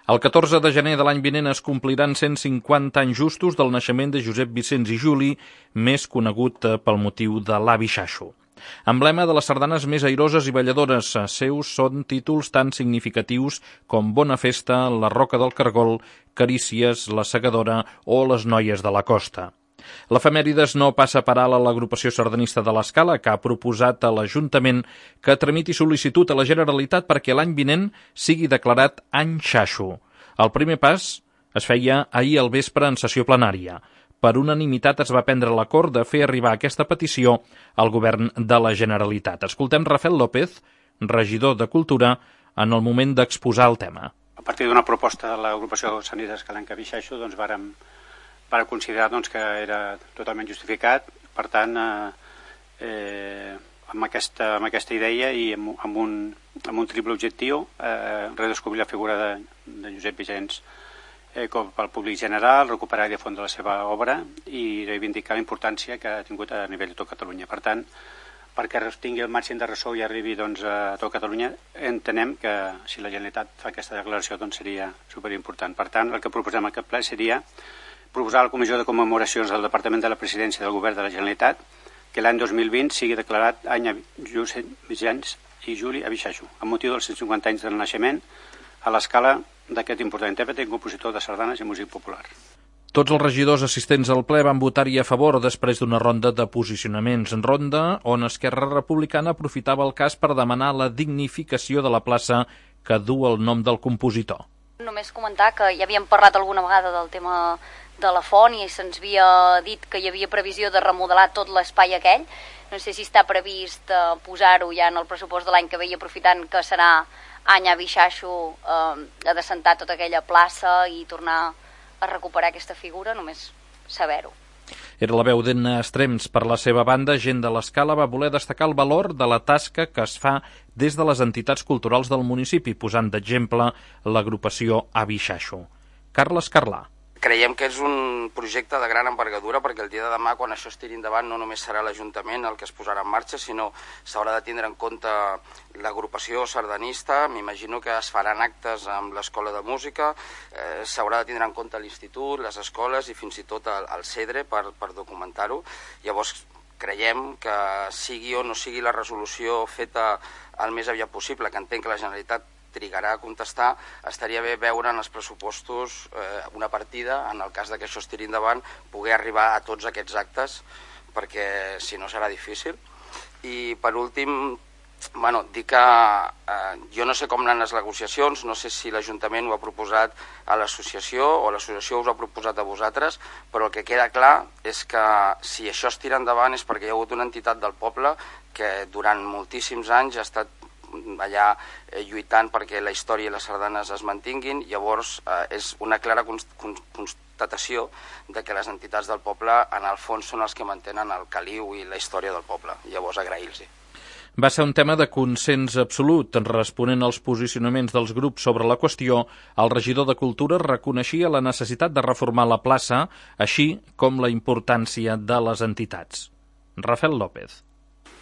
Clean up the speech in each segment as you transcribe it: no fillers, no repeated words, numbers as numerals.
El 14 de gener de l'any vinent es compliran 150 anys justos del naixement de Josep Vicenç i Juli, més conegut pel motiu de l'Avi Xaxo. Emblema de les sardanes més airoses i balladores, seus són títols tan significatius com Bona Festa, La Roca del Cargol, Carícies, La Segadora o Les Noies de la Costa. L'efemèrides no passa per alt a l'agrupació sardanista de l'Escala, que ha proposat a l'Ajuntament que tramiti sol·licitud a la Generalitat perquè l'any vinent sigui declarat any Xaxo. El primer pas es feia ahir al vespre en sessió plenària. Per unanimitat es va prendre l'acord de fer arribar aquesta petició al govern de la Generalitat. Escoltem Rafael López, regidor de Cultura, en el moment d'exposar el tema. A partir d'una proposta de l'agrupació sardanista escalenca Avi Xaxo, vàrem considerar que era totalment justificat. Per tant, amb aquesta idea i amb un triple objectiu, redescobrir la figura de Josep Vicenç com pel públic general, recuperar i difondre la seva obra i reivindicar la importància que ha tingut a nivell de tot Catalunya. Per tant, perquè tingui el màxim de ressò i arribi a tot Catalunya, entenem que si la Generalitat fa aquesta declaració seria superimportant. Per tant, el que proposem a aquest ple seria proposar a la Comissió de Commemoracions del Departament de la Presidència del Govern de la Generalitat que l'any 2020 sigui declarat any Josep Vicenç i Juli Avi Xaxo, amb motiu dels 150 anys del naixement a l'escala d'aquest important intèrpret i compositor de sardanes i músic popular. Tots els regidors assistents al ple van votar-hi a favor després d'una ronda de posicionaments. Ronda on Esquerra Republicana aprofitava el cas per demanar la dignificació de la plaça que du el nom del compositor. Només comentar que ja havíem parlat alguna vegada del tema de la font i se'ns havia dit que hi havia previsió de remodelar tot l'espai aquell. No sé si està previst posar-ho ja en el pressupost de l'any que ve i aprofitant que serà any Avi Xaxo, adassentar tota aquella plaça i tornar a recuperar aquesta figura, només saber-ho. Era la veu d'Enna Estrems. Per la seva banda, gent de l'Escala va voler destacar el valor de la tasca que es fa des de les entitats culturals del municipi, posant d'exemple l'agrupació Avi Xaxo. Carles Carlà. Creiem que és un projecte de gran envergadura perquè el dia de demà, quan això es tiri endavant, no només serà l'Ajuntament el que es posarà en marxa, sinó s'haurà de tindre en compte l'agrupació sardanista. M'imagino que es faran actes amb l'Escola de Música, s'haurà de tindre en compte l'Institut, les escoles i fins i tot el CEDRE per documentar-ho. Llavors, creiem que sigui o no sigui la resolució feta el més aviat possible, que entenc que la Generalitat trigarà a contestar, estaria bé veure en els pressupostos una partida, en el cas que això es tiri endavant, poder arribar a tots aquests actes, perquè si no serà difícil. I per últim, dir que jo no sé com anen les negociacions, no sé si l'Ajuntament ho ha proposat a l'associació o l'associació us ho ha proposat a vosaltres, però el que queda clar és que si això es tira endavant és perquè hi ha hagut una entitat del poble que durant moltíssims anys ha estat allà lluitant perquè la història i les sardanes es mantinguin. Llavors és una clara constatació de que les entitats del poble en el fons són els que mantenen el caliu i la història del poble. Llavors agrair-los-hi. Va ser un tema de consens absolut. Responent als posicionaments dels grups sobre la qüestió, el regidor de Cultura reconeixia la necessitat de reformar la plaça, així com la importància de les entitats. Rafael López.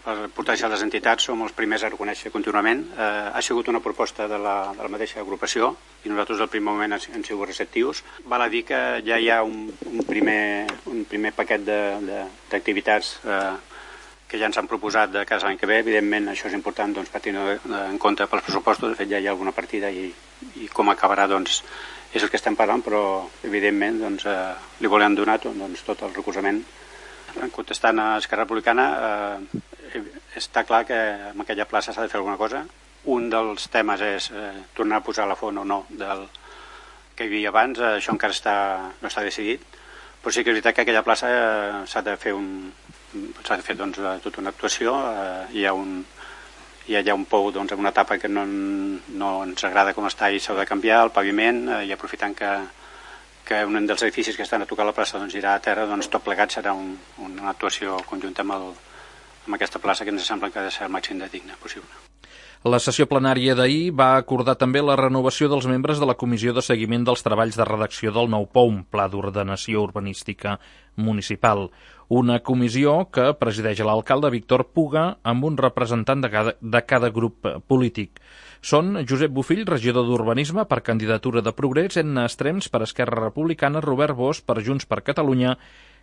La importància de les entitats som els primers a reconèixer contínuament. Ha sigut una proposta de la mateixa agrupació i nosaltres al primer moment hem sigut receptius. Val a dir que ja hi ha un primer paquet d'activitats que ja ens han proposat de cara a l'any que ve. Evidentment això és important per tenir en compte pels pressupostos. De fet ja hi ha alguna partida i com acabarà és el que estem parlant, però evidentment li volem donar tot el recolzament. Contestant a Esquerra Republicana, està clar que en aquella plaça s'ha de fer alguna cosa. Un dels temes és tornar a posar la font o no del que hi havia abans. Això encara no està decidit, però sí que és veritat que aquella plaça s'ha de fer tota una actuació. Hi ha un pou en una etapa que no ens agrada com està i s'ha de canviar el paviment, i aprofitant que un dels edificis que estan a tocar la plaça irà a terra, tot plegat serà una actuació conjunta amb aquesta plaça que ens sembla que ha de ser el màxim de digne possible. La sessió plenària d'ahir va acordar també la renovació dels membres de la Comissió de Seguiment dels Treballs de Redacció del nou POUM, Pla d'Ordenació Urbanística Municipal. Una comissió que presideix l'alcalde Víctor Puga amb un representant de cada grup polític. Són Josep Bofill, regidor d'Urbanisme per candidatura de Progrés, Edna Estrems per Esquerra Republicana, Robert Bosch per Junts per Catalunya,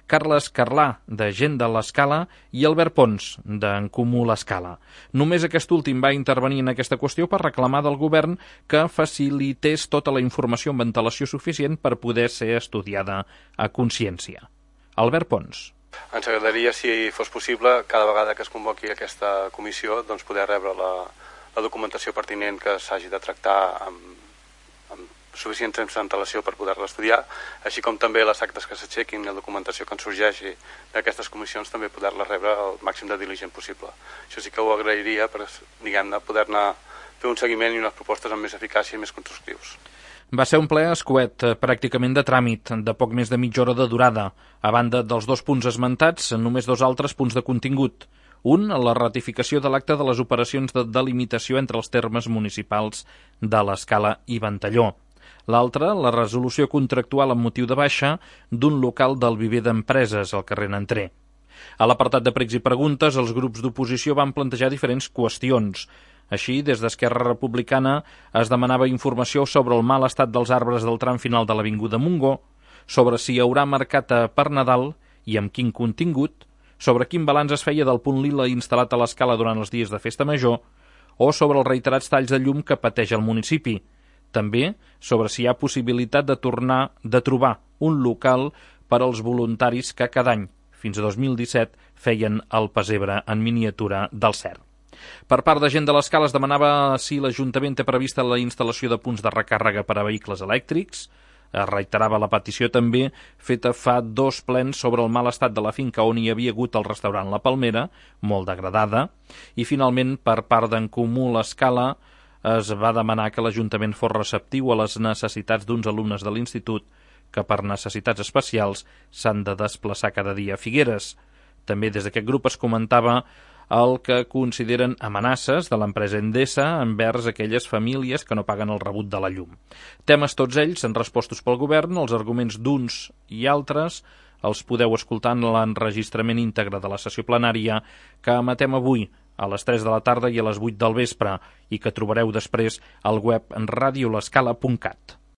Carles Carlà, de Gent de l'Escala, i Albert Pons, d'En Comú l'Escala. Només aquest últim va intervenir en aquesta qüestió per reclamar del govern que facilités tota la informació amb antelació suficient per poder ser estudiada a consciència. Albert Pons. Ens agradaria, si fos possible, cada vegada que es convoqui aquesta comissió, doncs poder rebre la documentació pertinent que s'hagi de tractar amb suficient temps d'antelació per poder-la estudiar, així com també les actes que s'aixequin, la documentació que ens sorgeixi d'aquestes comissions, també poder-la rebre el màxim de diligent possible. Això sí que ho agrairia per, diguem-ne, poder-ne fer un seguiment i unes propostes amb més eficàcia i més constructius. Va ser un ple escuet, pràcticament de tràmit, de poc més de mitja hora de durada. A banda dels 2 punts esmentats, només 2 altres punts de contingut. Un, la ratificació de l'acte de les operacions de delimitació entre els termes municipals de l'Escala i Ventalló. L'altre, la resolució contractual amb motiu de baixa d'un local del viver d'empreses al carrer Nanter. A l'apartat de pregs i preguntes, els grups d'oposició van plantejar diferents qüestions. Així, des d'Esquerra Republicana es demanava informació sobre el mal estat dels arbres del tram final de l'Avinguda Montgó, sobre si hi haurà mercat per Nadal i amb quin contingut, sobre quin balanç es feia del punt lila instal·lat a l'Escala durant els dies de Festa Major, o sobre els reiterats talls de llum que pateix el municipi. També sobre si hi ha possibilitat de trobar un local per als voluntaris que cada any, fins a 2017, feien el pessebre en miniatura del CERN. Per part de Gent de l'Escala es demanava si l'Ajuntament té prevista la instal·lació de punts de recàrrega per a vehicles elèctrics. Es reiterava la petició també feta fa 2 plens sobre el mal estat de la finca on hi havia hagut el restaurant La Palmera, molt degradada, i finalment per part d'En Comú l'Escala es va demanar que l'Ajuntament fos receptiu a les necessitats d'uns alumnes de l'institut que per necessitats especials s'han de desplaçar cada dia a Figueres. També des d'aquest grup es comentava el que consideren amenaces de l'empresa Endesa envers aquelles famílies que no paguen el rebut de la llum. Temes tots ells en respostos pel govern, els arguments d'uns i altres els podeu escoltar en l'enregistrament íntegre de la sessió plenària que emetem avui a les 3 de la tarda i a les 8 del vespre i que trobareu després al web radiolescala.cat.